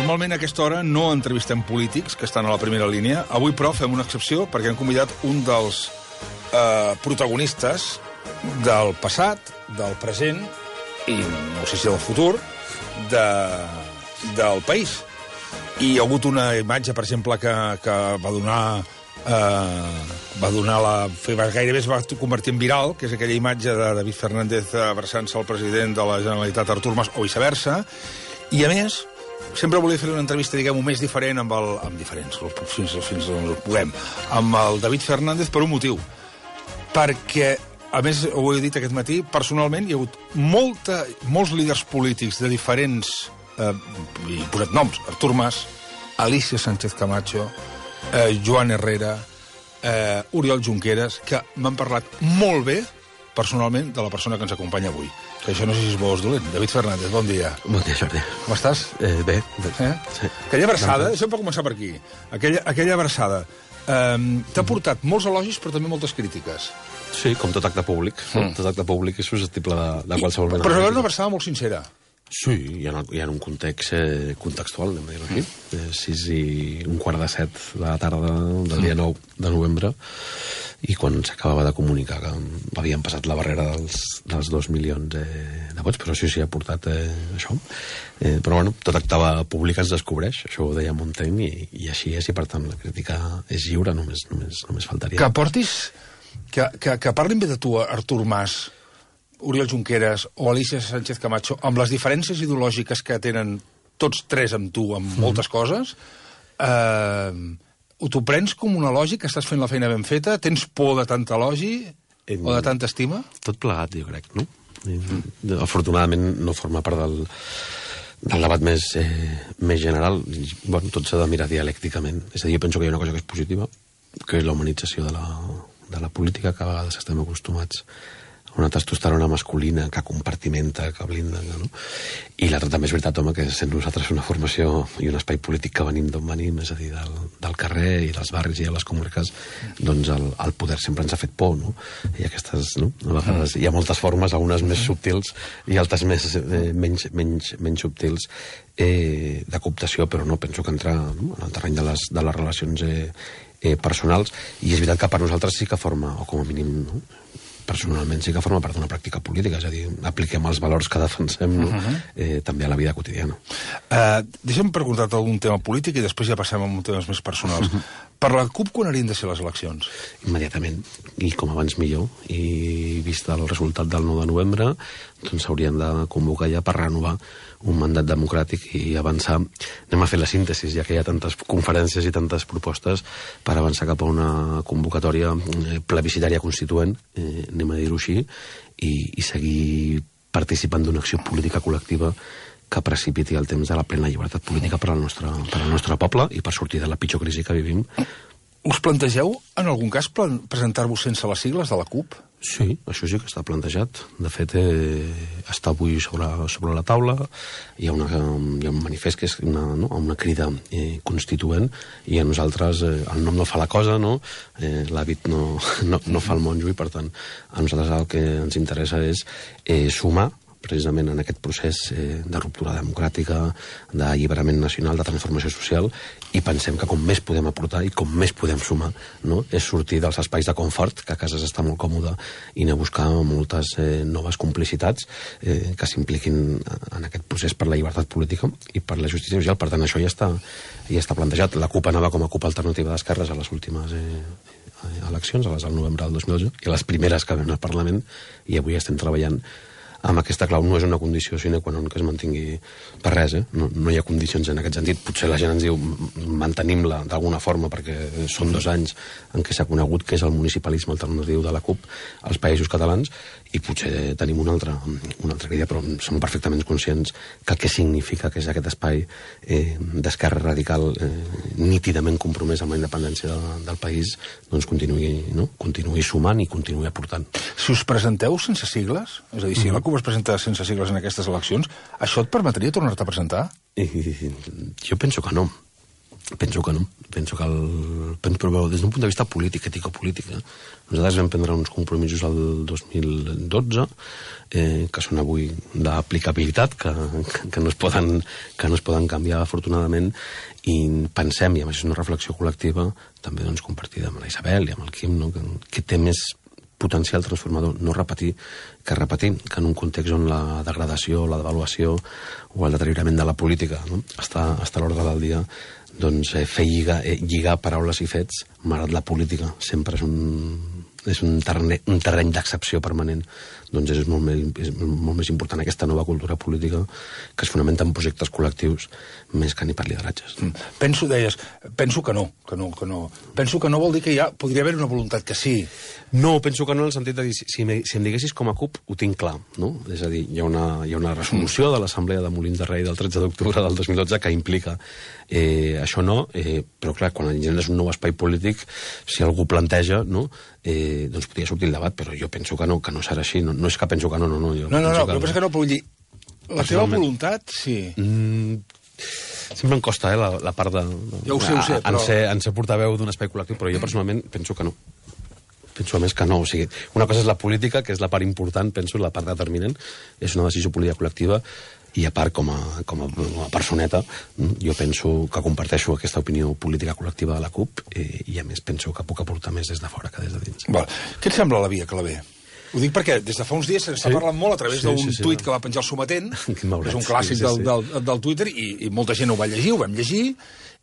normalment a aquesta hora no entrevistem polítics que estan a la primera línia. Avui, però, fem una excepció perquè hem convidat un dels protagonistes del passat, del present i no sé si del futur del país. I hi ha hagut una imatge, per exemple, que va donar gairebé es va convertir en viral, que és aquella imatge de David Fernández abraçant-se al president de la Generalitat, Artur Mas, o viceversa. I, a més, sempre volia fer una entrevista, diguem-ho, més diferent amb fins on puguem, amb el David Fernández per un motiu. Perquè, a més, ho he dit aquest matí, personalment hi ha hagut molts líders polítics de diferents, he posat noms, Artur Mas, Alicia Sánchez Camacho, Joan Herrera, Oriol Junqueras, que m'han parlat molt bé, personalment, de la persona que ens acompanya avui. Que això no sé si és bo o és dolent. David Fernández, bon dia. Bon dia, Jordi. Com estàs? Bé. Sí. Aquella abraçada, això pot començar per aquí, aquella abraçada, t'ha portat molts elogis però també moltes crítiques. Sí, com tot acte públic. Tot acte públic és susceptible de qualsevol mena. Però és una abraçada molt sincera. Sí, hi ha un context contextual, anem a dir-ho aquí. 6:15 de la tarda del dia 9 de novembre, i quan s'acabava de comunicar que havien passat la barrera dels 2 milions de vots, però sí ha portat això. Però bueno, tot acte públic es descobreix, això ho deia Montaigne, i així és, i per tant la crítica és lliure, només faltaria. Que portis, que parlin bé de tu, Artur Mas, Oriol Junqueras o Alicia Sánchez Camacho, amb les diferències ideològiques que tenen tots tres amb tu, amb moltes coses, t'ho prens com un elogi, que estàs fent la feina ben feta? Tens por de tant elogi o de tanta estima? Tot plegat, jo crec, no? Afortunadament no forma part del debat més general. Bueno, tot s'ha de mirar dialècticament. És a dir, jo penso que hi ha una cosa que és positiva, que és la humanització de la política, que a vegades estem acostumats a una testosterona masculina que compartimenta, que blinda, no? I l'altre també és veritat, home, que sent nosaltres una formació i un espai polític que venim d'on venim, és a dir, del carrer i dels barris i de les comarques, doncs el poder sempre ens ha fet por, no? I aquestes, no? A vegades hi ha moltes formes, algunes més subtils i altres menys subtils, de cooptació, però no penso que entrar en el terreny de les relacions personals. I és veritat que per nosaltres sí que forma, o com a mínim, no? Personalment sí que forma part d'una pràctica política, és a dir, apliquem els valors que defensem, no? També a la vida quotidiana. Deixa'm preguntar-te algun tema polític i després ja passem a temes més personals. Per la CUP, quan haurien de ser les eleccions? Immediatament, i com abans millor. I vist el resultat del 9 de novembre, doncs s'haurien de convocar ja per renovar un mandat democràtic i avançar. Anem a fer la síntesi, ja que hi ha tantes conferències i tantes propostes, per avançar cap a una convocatòria plebiscitària constituent, anem a dir-ho així, i seguir participant d'una acció política col·lectiva que precipiti el temps de la plena llibertat política per al nostre poble i per sortir de la pitjor crisi que vivim. Us plantegeu, en algun cas, presentar-vos sense les sigles de la CUP? Sí, això sí que està plantejat. De fet, està avui sobre la taula. Hi ha un manifest que és una crida constituent, i a nosaltres el nom no fa la cosa, no? L'hàbit no fa el monjo, i per tant a nosaltres el que ens interessa és sumar precisament en aquest procés de ruptura democràtica, d'alliberament nacional, de transformació social, i pensem que com més podem aportar i com més podem sumar, no? És sortir dels espais de confort, que a casa està molt còmode, i anar a buscar moltes noves complicitats que s'impliquin en aquest procés per la llibertat política i per la justícia social. Per tant, això ja està plantejat. La CUP anava com a CUP Alternativa d'Esquerres a les últimes eleccions, a les del novembre del 2012, i a les primeres que vam al Parlament, i avui estem treballant amb aquesta clau. No és una condició sine qua non que es mantingui per res, no hi ha condicions en aquest sentit. Potser la gent ens diu mantenim-la d'alguna forma, perquè són 2 anys en què s'ha conegut que és el municipalisme alternatiu de la CUP als Països Catalans, i potser tenim una altra idea, però som perfectament conscients que el que significa que és aquest espai d'esquerra radical nítidament compromès amb la independència del país, doncs continuï sumant i continuï aportant. Si us presenteu sense sigles, és a dir, si la CUP es presenta sense sigles en aquestes eleccions, això et permetria tornar-te a presentar? Jo penso que no. Penso que no. Però des d'un punt de vista polític, ètico-polític, nosaltres vam prendre uns compromisos el 2012 que són avui d'aplicabilitat, que no es poden canviar, afortunadament, i pensem, i a més és una reflexió col·lectiva, també doncs, compartida amb la Isabel i amb el Quim, no? que té més potencial transformador, no repetir, que en un context on la degradació, la devaluació o el deteriorament de la política, no? està a l'ordre del dia, doncs fer lligar paraules i fets, malgrat la política sempre és un terreny d'excepció permanent, doncs és molt més important aquesta nova cultura política que es fonamenta en projectes col·lectius més que ni per lideratges. Penso que no. Penso que no vol dir que podria haver una voluntat que sí. No, penso que no, en el sentit de dir, si em diguessis com a CUP, ho tinc clar, no? És a dir, hi ha una resolució de l'Assemblea de Molins de Rei del 13 d'octubre del 2012 que implica això no, però clar, quan engendres un nou espai polític, si algú planteja, no? Doncs podria sortir el debat, però jo penso que no serà així. No és que penso que no. No, però penso que no, però vull dir, la teva voluntat, sí. Sempre em costa, la part de... Ja ho sé, però... En ser portaveu d'un espai col·lectiu, però jo personalment penso que no. Penso a més que no. O sigui, una cosa és la política, que és la part important, penso, la part determinant, és una decisió política col·lectiva, i a part, com a personeta, jo penso que comparteixo aquesta opinió política col·lectiva de la CUP i a més penso que puc aportar més des de fora que des de dins. Val. Què et sembla la via Claver? Ho dic perquè des de fa uns dies s'està parlant molt a través d'un tuit que va penjar el Sometent, que és un clàssic del Twitter, i molta gent ho va llegir, ho vam llegir,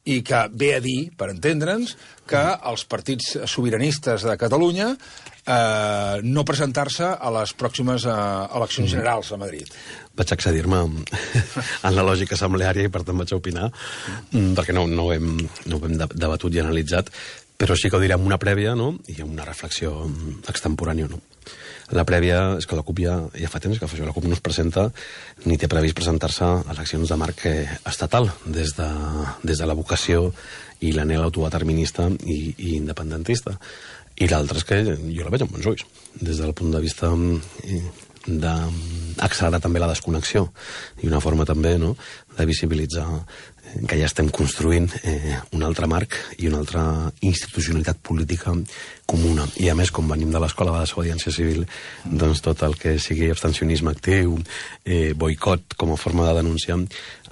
i que ve a dir, per entendre'ns, que els partits sobiranistes de Catalunya no presentar-se a les pròximes eleccions generals a Madrid. Vaig accedir-me en la lògica assembleària i per tant vaig opinar, perquè no ho hem debatut i analitzat, però sí que ho diré amb una prèvia, no? I amb una reflexió extemporània, no? La prèvia és que la CUP ja fa temps que la CUP no es presenta ni té previst presentar-se a eleccions de marc estatal des de la vocació i l'anhel autodeterminista i independentista. I l'altre és que jo la veig amb bons ulls, des del punt de vista d'accelerar també la desconnexió i una forma també, no?, de visibilitzar que ja estem construint un altre marc i una altra institucionalitat política comuna. I a més, com venim de l'escola de desobediència civil, doncs tot el que sigui abstencionisme actiu, boicot com a forma de denunciar,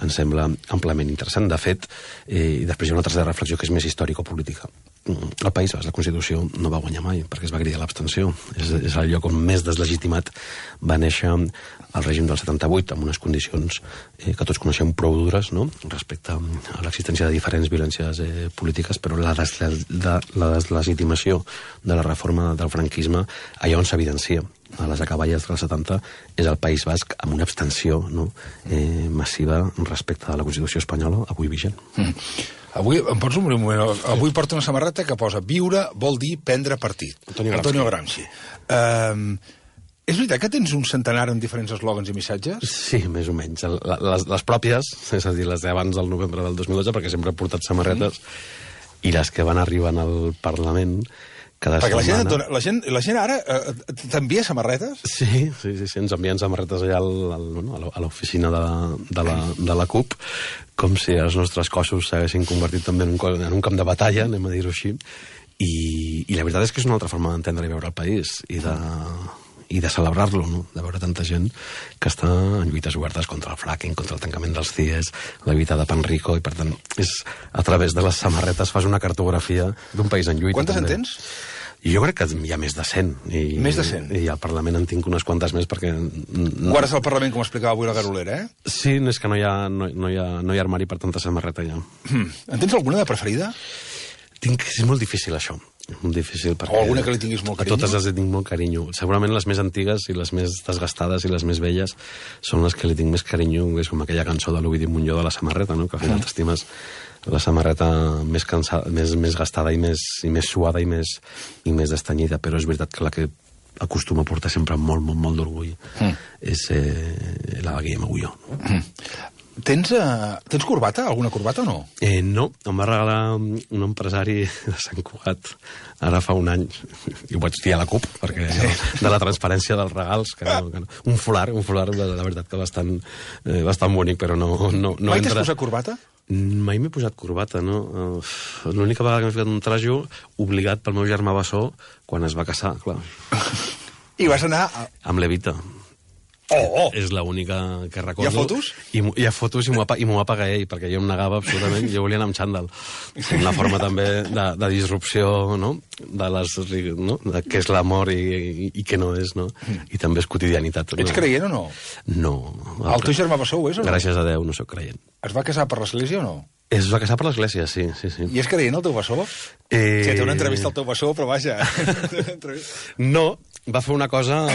ens sembla amplament interessant. De fet, i després hi ha una tercera reflexió que és més històrico-política. El País Basc, la Constitució, no va guanyar mai perquè es va cridar l'abstenció. És el lloc on més deslegitimat va néixer el règim del 78, amb unes condicions que tots coneixem prou dures, no?, respecte a l'existència de diferents violències polítiques, però la deslegitimació de la reforma del franquisme, allà on s'evidencia a les acaballes dels 70, és el País Basc amb una abstenció, no?, massiva respecte a la Constitució espanyola, avui vigent. Avui, em pots obrir un moment? Avui porta una samarreta que posa viure vol dir prendre partit. Antonio Gramsci. És veritat que tens un centenar amb diferents eslògans i missatges? Sí, més o menys. Les pròpies, és a dir, les d'abans del novembre del 2012, perquè sempre he portat samarretes, i les que van arribant al Parlament cada setmana. Perquè la gent ara t'envia samarretes? Sí, ens envien samarretes allà a l'oficina de la CUP, com si els nostres cossos s'haguessin convertit també en un camp de batalla, anem a dir-ho així, i la veritat és que és una altra forma d'entendre i veure el país, i de celebrar-lo, no?, de veure tanta gent que està en lluites obertes contra el fracking, contra el tancament dels CIEs, la lluita de Panrico, i per tant, a través de les samarretes fas una cartografia d'un país en lluita. Quantes en tens? Jo crec que hi ha més de 100. Més de 100? I al Parlament en tinc unes quantes més perquè... Guardes al Parlament, com explicava avui la Garolera, eh? Sí, és que no hi ha armari per tanta samarreta ja. En tens alguna de preferida? És molt difícil, això. És molt difícil perquè... O alguna que li tinguis molt carinyo? A totes les tinc molt carinyo. Segurament les més antigues i les més desgastades i les més velles són les que li tinc més carinyo, és com aquella cançó de l'Ovidi Montllor de la samarreta, no?, que al final t'estimes la samarreta més gastada i més suada i més destanyida, però és veritat que la que acostuma a portar sempre molt d'orgull és la Guillem Agulló. Tens corbata? Alguna corbata o no? No, em va regalar un empresari de Sant Cugat ara fa un any, i ho vaig dir a la CUP, perquè de la transparència dels regals, que no. Un folar, la veritat que bastant bonic, però no mai t'has posat corbata? Mai m'he posat corbata, no? L'única vegada que m'he ficat un trajo, obligat pel meu germà bessó, quan es va casar, clar. I vas anar... Amb l'Evita. Oh! És l'única que recordo. Hi ha fotos? Hi ha fotos i m'ho va pagar ell, perquè jo em negava absolutament, jo volia anar amb xandall. Una forma també de disrupció, no?, de què és l'amor i què no és, no? I també és quotidianitat. Ets creient o no? No. El teu germà bessó ho és o no? Gràcies a Déu, no sóc creient. Es va casar per l'església o no? Es va casar per l'església, sí. I és creient el teu bessó? Sí, té una entrevista al teu bessó, però vaja... No, va fer una cosa...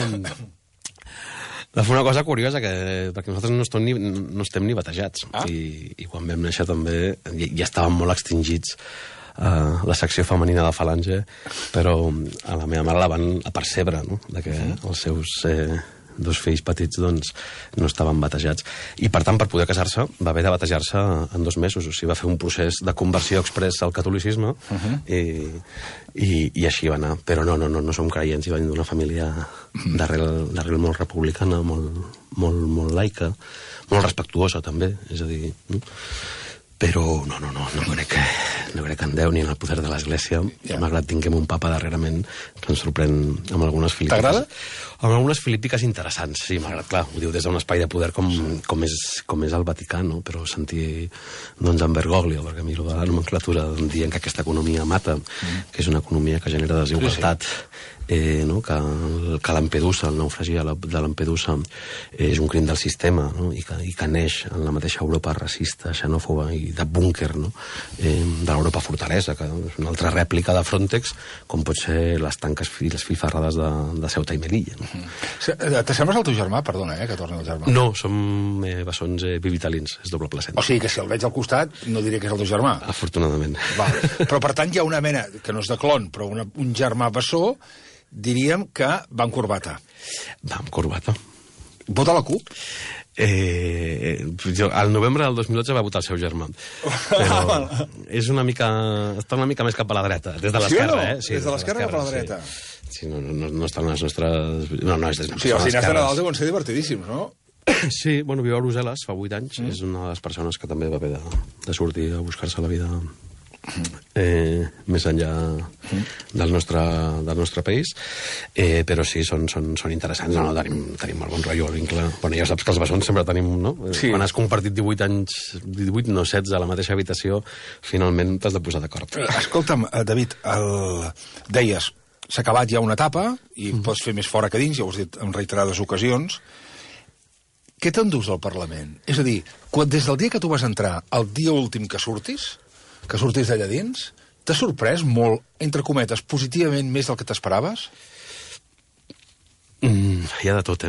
Va fer una cosa curiosa, perquè nosaltres no estem ni batejats. I quan vam néixer també ja estàvem molt extingits la secció femenina de Falange, però a la meva mare la van apercebre, no?, de que els seus dos fills petits doncs, no estaven batejats. I, per tant, per poder casar-se, va haver de batejar-se en 2 mesos. O sigui, va fer un procés de conversió express al catolicisme i així va anar. Però no som creients, i venim d'una família d'arrel molt republicana, molt laica, molt respectuosa, també. És a dir, no? Però no crec en Déu ni en el poder de l'Església. Malgrat tinguem un papa darrerament que ens sorprèn amb algunes filípiques. T'agrada? Amb algunes filípiques interessants, sí, malgrat, clar, ho diu des d'un espai de poder com és el Vaticà, no? Però sentir, doncs, en Bergoglio, perquè miro la nomenclatura, dient que aquesta economia mata, que és una economia que genera desigualtat, no? Que Lampedusa, el naufragi de Lampedusa, és un crim del sistema, no? I que neix en la mateixa Europa racista, xenòfoba i de búnquer, no? De l'Europa fortalesa, que és una altra rèplica de Frontex, com pot ser les tanques i les filferrades de Ceuta i Melilla. No? T'assembles al teu germà? Perdona, que torni el germà. No, som bessons bivitalins, és doble placenta. O sigui que si el veig al costat no diré que és el teu germà. Afortunadament. Val. Però per tant hi ha una mena, que no és de clon, però un germà bessó, diríem que va amb corbata. Va amb corbata. Vota la CUP? Al novembre del 2012 va votar el seu germà. Però està una mica més cap a la dreta, des de l'esquerra, Sí, des de l'esquerra cap a la dreta. Sí, no estan les nostres... No, és des de sí, els dinars de Nadal deuen ser divertidíssims, no? Sí, bueno, viu a Brussel·les fa 8 anys. És una de les persones que també va haver de sortir a buscar-se la vida més enllà del nostre país, però sí, són interessants. No, tenim molt bon rotllo, el vincle. Bueno, ja saps que els bessons sempre tenim, no? Sí. Quan has compartit 18 anys, 18, no 16, a la mateixa habitació, finalment t'has de posar d'acord. Escolta'm, David, deies, s'ha acabat ja una etapa i pots fer més fora que dins, ja ho has dit en reiterades ocasions. Què t'endús del Parlament? És a dir, des del dia que tu vas entrar, el dia últim que surtis d'allà dins, t'ha sorprès molt, entre cometes, positivament més del que t'esperaves? Hi ha de tot,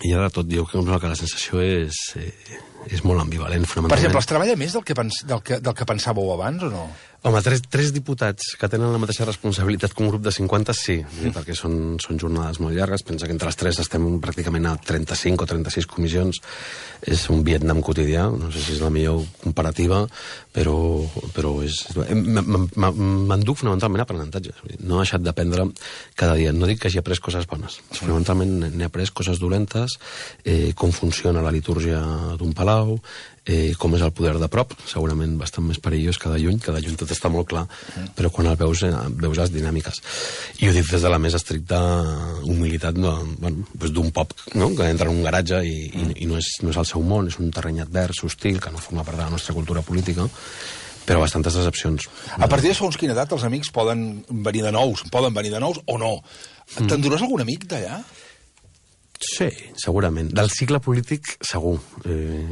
Hi ha de tot. Jo crec que la sensació és molt ambivalent, fonamentalment. Per exemple, es treballa més del que pensàveu abans, o no? Home, tres diputats que tenen la mateixa responsabilitat que un grup de 50, sí, perquè són jornades molt llargues. Pensa que entre les 3 estem pràcticament a 35 o 36 comissions. És un Vietnam quotidià, no sé si és la millor comparativa, però és... M'enduc fonamentalment aprenentatge. No he deixat d'aprendre cada dia. No dic que hagi après coses bones. Fonamentalment n'he après coses dolentes, com funciona la litúrgia d'un palau, com és el poder de prop, segurament bastant més perillós que de lluny tot està molt clar, però quan el veus les dinàmiques. I ho dic des de la més estricta humilitat d'un pop, no?, que entra en un garatge i no és el seu món, és un terreny advers, hostil, que no forma part de la nostra cultura política, però bastantes decepcions. A partir de segons quina edat els amics poden venir de nous o no. T'enduràs algun amic d'allà? Sí, segurament. Del cicle polític, segur.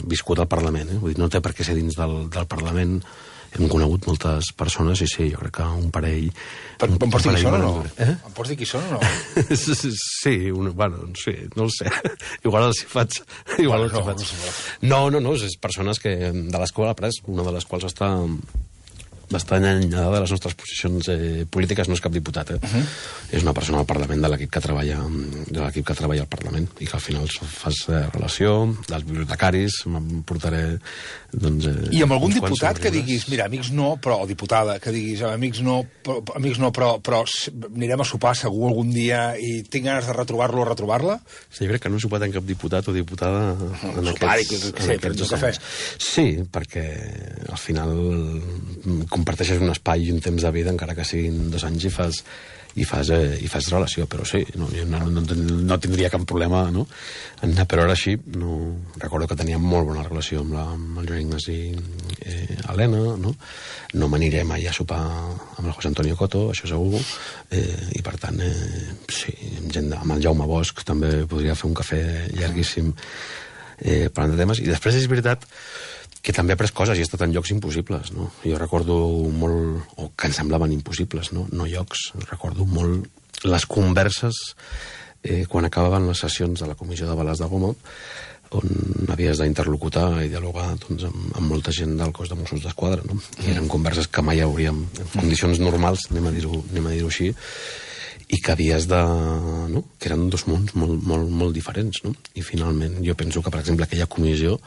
Viscut al Parlament, Vull dir, no té per què ser dins del Parlament. Hem conegut moltes persones i sí, jo crec que un parell... Em pots dir qui són o no? Em pots dir qui són o no? Sí, sí, no el sé. Igual els hi faig. No, és persones de les quals ha après, una de les quals està bastant allunyada de les nostres posicions polítiques, no és cap diputat, És una persona al Parlament de l'equip que treballa al Parlament i que al final fas relació dels bibliotecaris, me'n portaré doncs, I amb algun diputat que diguis, mira, amics no, però, o diputada, que diguis, amics no, però anirem a sopar segur algun dia i tinc ganes de retrobar-lo o retrobar-la? Sí, jo crec que no he sopat en cap diputat o diputada en aquests cafè. Sí, perquè al final comparteixes un espai i un temps de vida, encara que siguin 2 anys, i fas relació, però sí, jo no tindria cap problema, no? Però ara sí, recordo que teníem molt bona relació amb el Joan Ignasi Helena, no m'aniré mai a sopar amb el José Antonio Coto, això segur, i per tant, sí, amb el Jaume Bosch també podria fer un cafè llarguíssim parlant de temes, i després és veritat que també ha pres coses i ha estat en llocs impossibles, no? Jo recordo molt, o que em semblaven impossibles, no llocs, recordo molt les converses quan acabaven les sessions de la Comissió de Bales de Goma, on havies d'interlocutar i dialogar doncs, amb molta gent del cos de Mossos d'Esquadra, no? I eren converses que mai hauríem, en condicions normals, anem a dir-ho així, i que havies de... No? Que eren 2 mons molt diferents, no? I finalment jo penso que, per exemple, aquella comissió,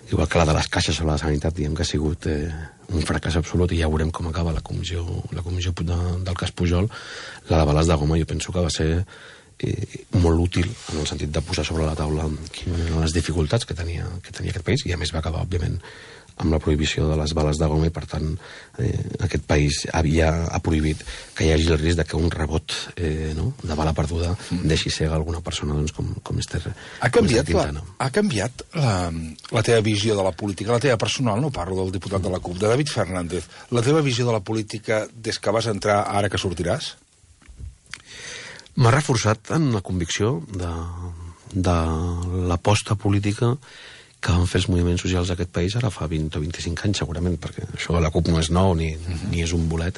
igual que la de les caixes sobre la sanitat, diguem que ha sigut un fracàs absolut, i ja veurem com acaba la comissió del cas Pujol. La de Bales de Goma jo penso que va ser molt útil en el sentit de posar sobre la taula quines eren les dificultats que tenia aquest país, i a més va acabar, òbviament, amb la prohibició de les bales de goma, i per tant aquest país ha prohibit que hi hagi el risc de que un rebot de bala perduda deixi cega alguna persona, doncs, com Esther Quintana. Ha canviat la teva visió de la política, la teva personal, no parlo del diputat de la CUP, de David Fernández, la teva visió de la política des que vas entrar ara que sortiràs? M'ha reforçat en la convicció de l'aposta política que van fer els moviments socials d'aquest país ara fa 20 o 25 anys, segurament, perquè això de la CUP no és nou ni és un bolet,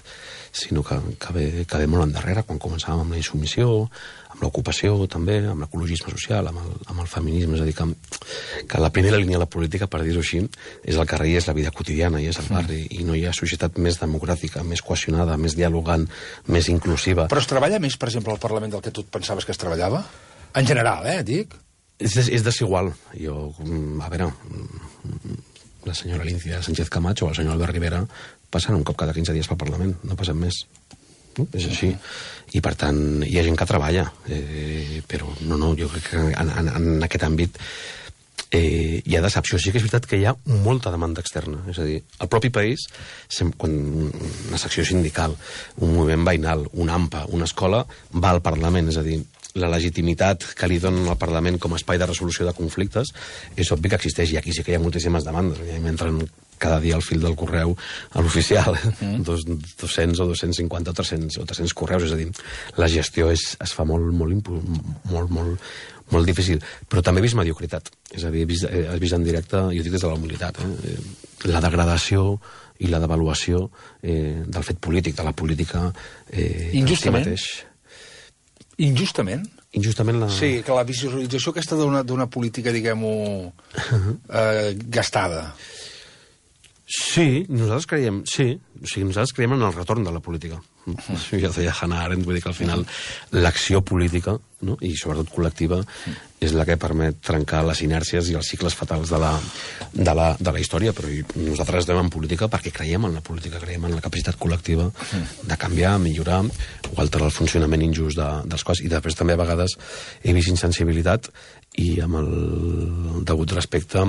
sinó que ve molt endarrere, quan començàvem amb la insubmissió, amb l'ocupació també, amb l'ecologisme social, amb el feminisme. És a dir, que la primera línia de la política, per dir-ho així, és el carrer i és la vida quotidiana, i és el barri, i no hi ha societat més democràtica, més cohesionada, més dialogant, més inclusiva. Però es treballa més, per exemple, al Parlament del que tu et pensaves que es treballava? En general, dic? És desigual. A veure, la senyora Alicia Sánchez Camacho o el senyor Albert Rivera passen un cop cada 15 dies pel Parlament, no passen més. És així. I per tant, hi ha gent que treballa, però jo crec que en aquest àmbit hi ha decepció. Sí que és veritat que hi ha molta demanda externa. És a dir, el propi país, quan una secció sindical, un moviment veïnal, una AMPA, una escola, va al Parlament. És a dir, la legitimitat que li donen al Parlament com a espai de resolució de conflictes és obvi que existeix, i aquí sí que hi ha moltíssimes demandes. M'entren cada dia al fil del correu a l'oficial 200 o 250 o 300 correus. És a dir, la gestió es fa molt difícil, però també he vist mediocritat. És a dir, has vist en directe, jo dic des de la humilitat, la degradació i la devaluació del fet polític, de la política injustament. Injustament la... Sí, que la visualització aquesta d'una política, diguem-ho, gastada. Sí, nosaltres creiem en el retorn de la política. Ja deia Hannah Arendt, vull dir que al final l'acció política, no? I sobretot col·lectiva, és la que permet trencar les inèrcies i els cicles fatals de la història. Però nosaltres estem en política perquè creiem en la política, creiem en la capacitat col·lectiva de canviar, millorar o alterar el funcionament injust dels cossos. I després també a vegades he vist insensibilitat i amb el degut respecte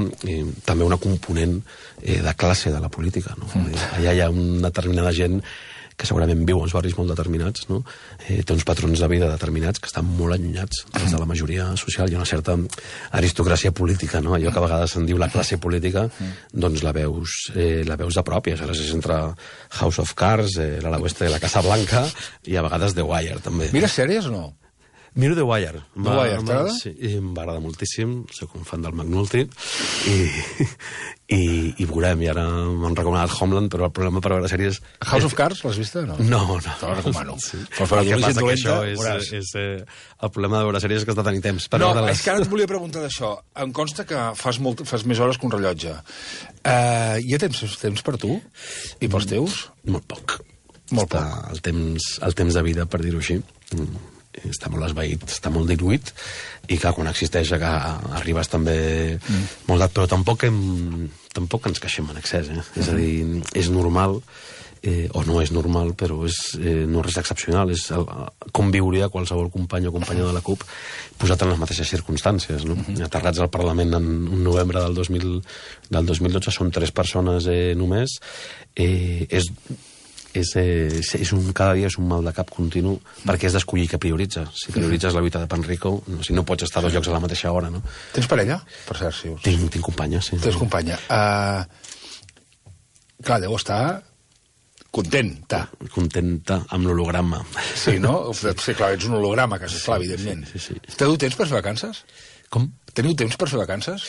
també una component de classe de la política, no? Allà hi ha una determinada gent que segurament viu en uns barris molt determinats, no? Té uns patrons de vida determinats que estan molt allunyats des de la majoria social. Hi ha una certa aristocràcia política, no? Allò que a vegades se'n diu la classe política, doncs la veus de prop, i aleshores és entre House of Cards, l'ala oeste de la Casa Blanca, i a vegades The Wire, també. Mires sèries o no? Miro The Wire. The Wire, t'agrada? Sí, m'agrada moltíssim, soc un fan del McNulty, i veurem, i ara m'han recomanat Homeland, però el problema per veure sèries... House of Cards, l'has vista? No. No. Te la recomano. Sí. El que passa que això és el problema de veure sèries que has de tenir temps. No, és que ara et volia preguntar d'això. Em consta que fas més hores que un rellotge. Hi ha temps per tu? I pels teus? Molt poc. El temps de vida, per dir-ho així, està molt esvaït, està molt diluït, i clar, quan existeix que arribes també molt d'at, però tampoc ens queixem en excés, és a dir, és normal, o no és normal, però no és res excepcional, és com viuria qualsevol company o companya de la CUP posat en les mateixes circumstàncies, no? Aterrats al Parlament en un novembre del 2012 són 3 persones només, cada dia és un mal de cap continu perquè has d'escollir què prioritza. Si prioritzes la lluita de Panrico, si no pots estar a 2 llocs a la mateixa hora, no? Tens parella, per cert, si us... Tinc companya, sí. Tens companya. Clar, deu estar contenta amb l'holograma. Sí, no? Sí, clar, ets un holograma, que és clar, evidentment. Sí. Teniu temps per fer vacances? Com? Teniu temps per fer vacances?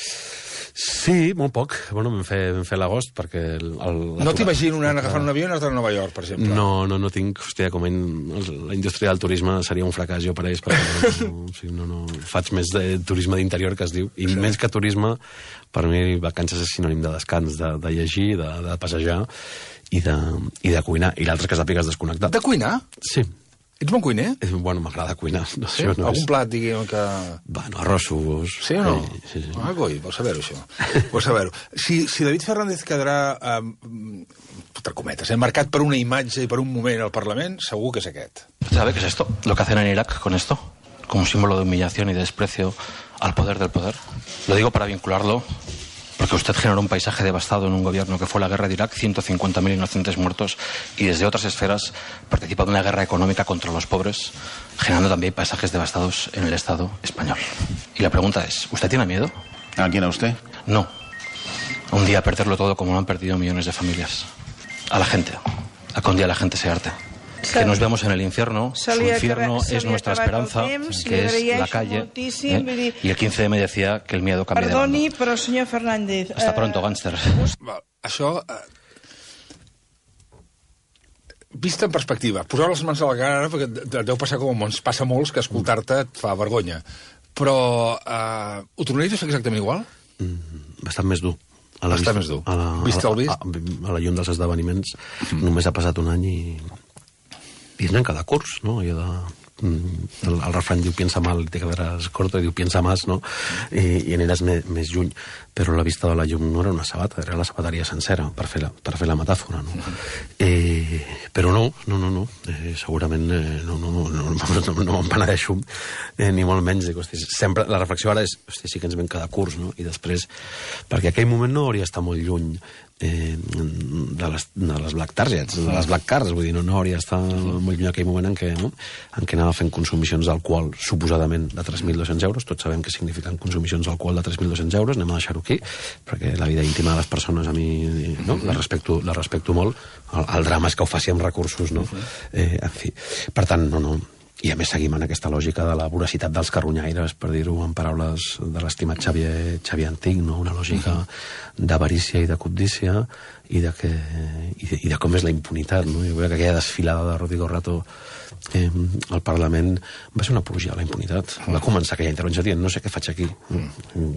Sí, molt poc. Bueno, vam fer l'agost perquè... No t'imagino anant agafant un avió i anar-te a Nova York, per exemple? No tinc... Hòstia, com la indústria del turisme seria un fracàs jo per ells, perquè no faig més de turisme d'interior, que es diu, i més que turisme, per mi vacances és sinònim de descans, de llegir, de passejar i de cuinar. I l'altre que sàpigues desconnectar. De cuinar? Sí. Ets bon cuiner? Bueno, m'agrada cuinar. No, sí? Algun plat, diguem, que... Bueno, arrossos... Sí o no? Sí. Ah, coi, vols saber-ho, això. Vols saber-ho. Si David Fernández quedarà, entre cometes, marcat per una imatge i per un moment al Parlament, segur que és aquest. ¿Sabe qué es esto? Lo que hacen en Irak con esto, como símbolo de humillación y de desprecio al poder del poder. Lo digo para vincularlo, porque usted generó un paisaje devastado en un gobierno que fue la guerra de Irak, 150.000 inocentes muertos, y desde otras esferas participa de una guerra económica contra los pobres, generando también paisajes devastados en el Estado español. Y la pregunta es, ¿usted tiene miedo? ¿A quién, a usted? No. Un día a perderlo todo como lo han perdido millones de familias. A la gente. A que un día la gente se harte. Que nos vemos en el infierno, su infierno es nuestra esperanza, que es la calle, y el 15M decía que el miedo cambia de bando. Perdoni, però senyor Fernández... Hasta pronto, gánster. Això, vist en perspectiva, poseu les mans a la cara, perquè deu passar com ens passa molts, que escoltar-te et fa vergonya. Però ho tornaries a fer exactament igual? Bastant més dur. Bastant més dur. Vist el vist? A la llum dels esdeveniments, només ha passat un any i en cada curs, no? El refrany diu piensa mal, te quedaràs corto, i diu piensa más, no? I aniràs més lluny. Però la vista de la llum no era una sabata, era la sabateria sencera, per fer la metàfora, no? Però no. Segurament no me'n penedeixo, ni molt menys. Sempre la reflexió ara és, sí que ens ven cada curs, no? I després, perquè aquell moment no hauria d'estar molt lluny de les Black Targets, de les Black Cars, vull dir, no hauria d'estar molt lluny aquell moment en què anava fent consumicions d'alcohol suposadament de 3.200 euros, tots sabem què signifiquen consumicions d'alcohol de 3.200 euros, anem a deixar-ho aquí, perquè la vida íntima de les persones a mi la respecto molt, el drama és que ho faci amb recursos, no? En fi, per tant, no. I a més seguim en aquesta lògica de la voracitat dels carronyaires, per dir-ho en paraules de l'estimat Xavier Antic, no? Una lògica d'avarícia i de cobdícia i de com és la impunitat, no? Jo crec que aquella desfilada de Rodrigo Rato al Parlament va ser una apologia a la impunitat. Va començar aquella intervenció dient, no sé què faig aquí.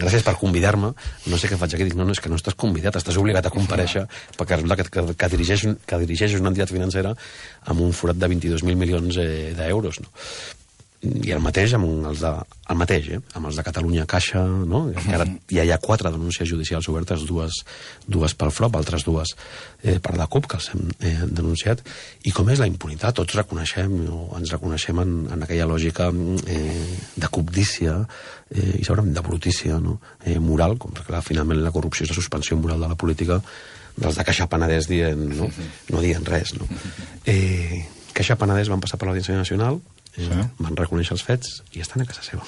Gràcies per convidar-me, no sé què faig aquí. Dic, no, és que no estàs convidat, estàs obligat a comparèixer perquè que dirigeixes una entitat financera amb un forat de 22.000 milions d'euros, no? I el mateix amb els de Catalunya Caixa, no? Que ara ja hi ha 4 denúncies judicials obertes, dues pel FROP, altres 2 per la CUP, que els hem denunciat, i com és la impunitat, tots ens reconeixem en aquella lògica de cobdícia i segurament de brutícia, no? Moral, com perquè finalment la corrupció és la suspensió moral de la política, dels de Caixa Penedès dient, no dient res, no? Caixa Penedès van passar per l'Audiència Nacional, van reconèixer els fets i estan a casa seva.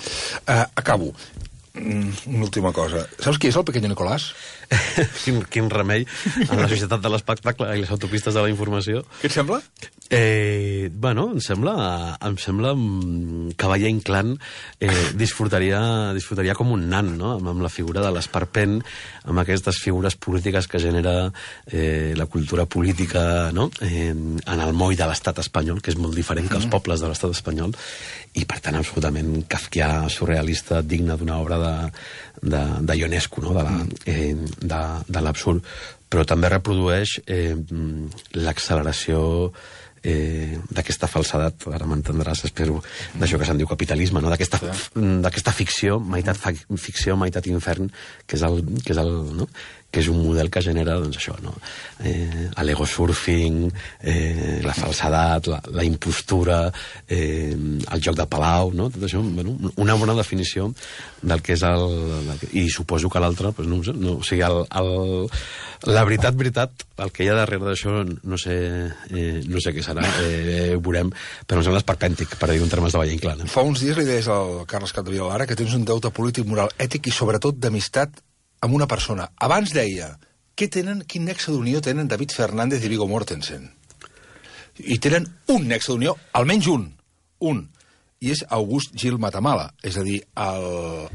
Acabo. Una última cosa. Saps qui és el Pequeño Nicolás? Quin remei en la societat de l'espectacle i les autopistes de la informació. Què et sembla? Bueno, em sembla Cavaller Inclán disfrutaria com un nan, no? Amb la figura de l'esperpent, amb aquestes figures polítiques que genera la cultura política, no? En el moll de l'estat espanyol, que és molt diferent que els pobles de l'estat espanyol, i per tant absolutament kafkià, surrealista, digne d'una obra de Ionesco, no? De l'absurd, però també reprodueix l'acceleració d'aquesta falsedat, ara m'entendràs, espero, d'això que se'n diu capitalisme, no? D'aquesta ficció, meitat infern, que és un model que genera, doncs això, no? L'egosurfing, la falsedat, la impostura, el joc de palau, no? Tot això, bueno, una bona definició del que és i suposo que l'altre, doncs no ho sé, o sigui, la veritat, el que hi ha darrere d'això no sé què serà, ho veurem, però em sembla esperpèntic, per dir-ho en termes de Valle Inclán. Fa uns dies li deies al Carles Capdevila Lara que tens un deute polític, moral, ètic i sobretot d'amistat amb una persona. Abans deia, quin nexe d'unió tenen David Fernández i Viggo Mortensen? I tenen un nexe d'unió, almenys un, i és August Gil Matamala, és a dir, el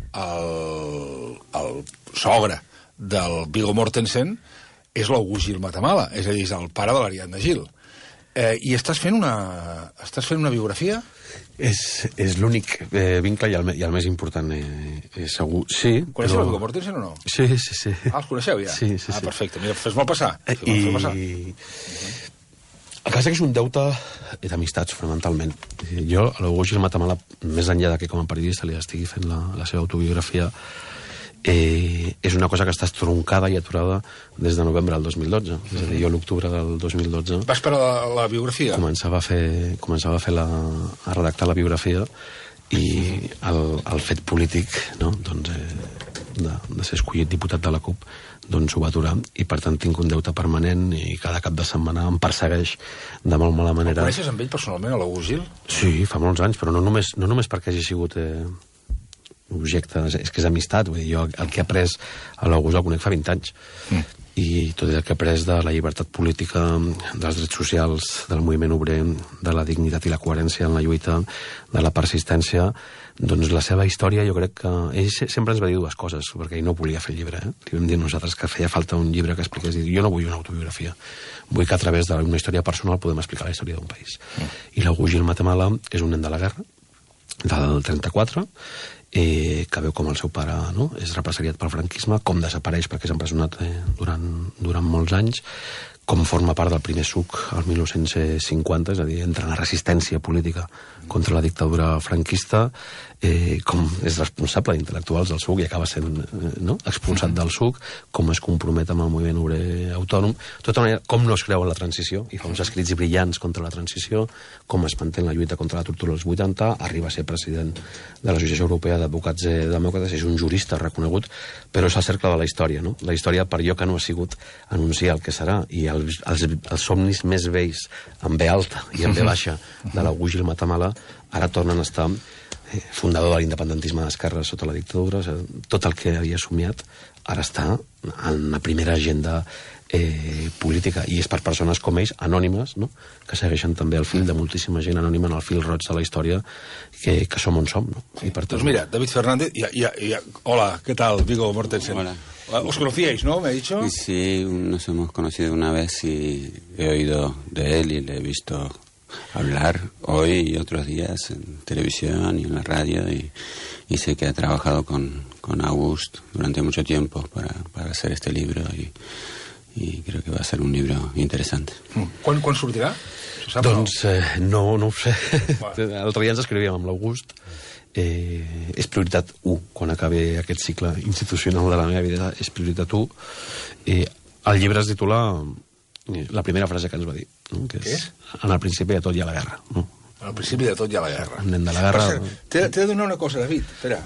sogre del Viggo Mortensen és l'August Gil Matamala, és a dir, és el pare de l'Ariadna Gil. I estàs fent una biografia? És l'únic vincle i el més important, segur. Sí, coneixeu el Viggo Mortensen o no? Sí. Els coneixeu ja? Sí. Perfecte, mira, fes-me'l passar. El cas és que és un deute d'amistats, fonamentalment. Jo, a l'August Gil Matamala, més enllà que com a periodista li estigui fent la seva autobiografia, és una cosa que està estroncada i aturada des de novembre del 2012. És a dir, jo l'octubre del 2012... Vas per la biografia? Començava a redactar la biografia i el fet polític, no? Doncs, de ser escollit diputat de la CUP, doncs ho va aturar, i per tant tinc un deute permanent i cada cap de setmana em persegueix de molt mala manera. El coneixes amb ell personalment, a l'August Gil? Sí, fa molts anys, però no només perquè hagi sigut objecte, és que és amistat. Vull dir, jo el que he après a l'August el conec fa 20 anys. I tot el que he après de la llibertat política, dels drets socials, del moviment obrer, de la dignitat i la coherència en la lluita, de la persistència, doncs la seva història, jo crec que ell sempre ens va dir dues coses, perquè ell no volia fer el llibre. Li vam dir nosaltres que feia falta un llibre que expliqués. Jo no vull una autobiografia, vull que a través d'una història personal podem explicar la història d'un país. I l'August Gil Matamala és un nen de la guerra, del 34, que veu com el seu pare, no?, és represaliat pel franquisme, com desapareix perquè és empresonat durant molts anys, com forma part del primer SUC al 1950, és a dir, entra en la resistència política contra la dictadura franquista, com és responsable d'intel·lectuals del SUC i acaba sent expulsat del SUC, com es compromet amb el moviment obrer autònom, tota manera, com no es creu en la transició, i fa uns escrits brillants contra la transició, com es manté en la lluita contra la tortura als 80, arriba a ser president de l'Associació Europea d'Advocats Demòcrates, és un jurista reconegut, però és el cercle de la història, no? La història, per allò que no ha sigut anunciar el que serà, i els somnis més vells en B alta i en B baixa de l'August Gil Matamala ara tornen a estar fundador de l'independentisme d'esquerra sota la dictadura. Tot el que havia somiat ara està en la primera agenda política, i és per persones com ells, anònimes, no?, que segueixen també el fil de moltíssima gent anònima en el fil roig de la història, que som on som, no? I per tant... Doncs mira, David Fernández, hola, ¿qué tal, Viggo Mortensen? Hola. ¿Os conocíais, no? ¿Me ha dicho? Sí, nos hemos conocido una vez y he oído de él y le he visto hablar hoy y otros días en televisión y en la radio, y sé que ha trabajado con August durante mucho tiempo para hacer este libro, y creo que va a ser un libro interesante. Quan sortirà? Doncs no ho sé. L'altre dia ens escrivíem amb l'August. És prioritat 1 quan acabi aquest cicle institucional de la meva vida, és prioritat 1. El llibre es titula la primera frase que ens va dir, no? Que és en el principi de tot hi ha la guerra, no? Al principi de tot hi ha la guerra. Un nen de la guerra... T'he de donar una cosa, David. Espera.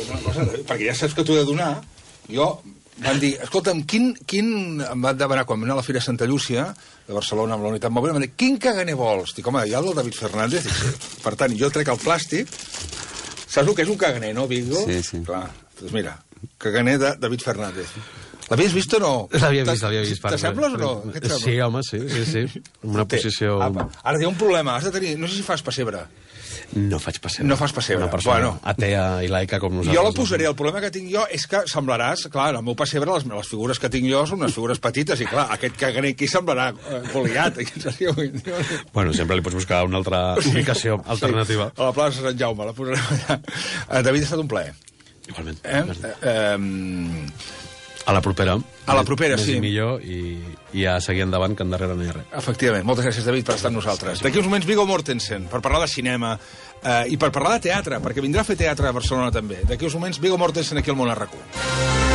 Una cosa, perquè ja saps que t'ho he de donar. Jo van dir, escolta'm, em van demanar quan vam anar a la Fira Santa Llúcia de Barcelona amb la Unitat Mòbil, em van dir, quin caganer vols? Dic, home, hi ha el del David Fernández. Per tant, jo trec el plàstic. Saps el que és un caganer, no, Viggo? Sí. Clar, doncs mira, caganer de David Fernández. L'havies vist o no? L'havia vist. T'assembles o no? Sí, home, sí. En una posició... Ara té un problema, has de tenir... No sé si fas pessebre. No faig pessebre. No fas pessebre. Una persona bueno. atea i laica com nosaltres. Jo la posaré. El problema que tinc jo és que semblaràs... Clar, en el meu pessebre les figures que tinc jo són unes figures petites i, clar, aquest caganer aquí semblarà Goliat. Bueno, sempre li pots buscar una altra ubicació alternativa. A la plaça Sant Jaume, la posarem allà. David, ha estat un plaer. Igualment. A la propera. A la propera, més sí. Més i millor, i a seguir endavant, que endarrere no hi ha res. Efectivament. Moltes gràcies, David, per estar amb nosaltres. D'aquí uns moments, Viggo Mortensen, per parlar de cinema i per parlar de teatre, perquè vindrà a fer teatre a Barcelona també. D'aquí uns moments, Viggo Mortensen aquí al Món a RAC1.